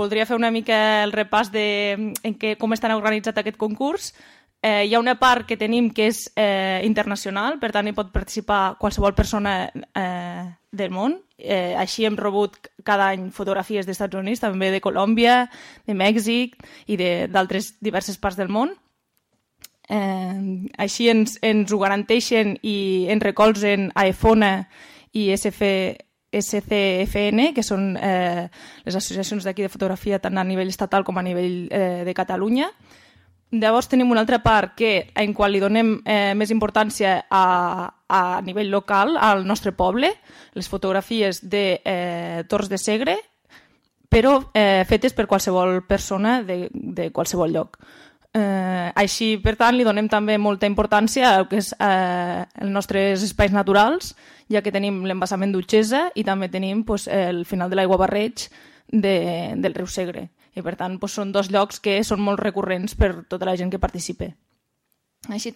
voldria fer una mica el repàs de com està organitzat aquest concurs. Hi ha una part que tenim que és internacional, per tant hi pot participar qualsevol persona del món. Així hem rebut cada any fotografies dels Estats Units, també de Colòmbia, de Mèxic i d'altres diverses parts del món. Així ens ho garanteixen i ens recolzen AEFONA i SCFN, que són les associacions d'aquí de fotografia tant a nivell estatal com a nivell de Catalunya. Llavors tenim una altra part en qual li donem més importància a nivell local, al nostre poble, les fotografies de Torres de Segre, però fetes per qualsevol persona de qualsevol lloc. Així, per tant, li donem també molta importància al que és els nostres espais naturals, ja que tenim l'embassament d'Utxesa i també tenim el final de l'aiguabarreig del riu Segre. I per tant són dos llocs que són molt recurrents per tota la gent que participa. Així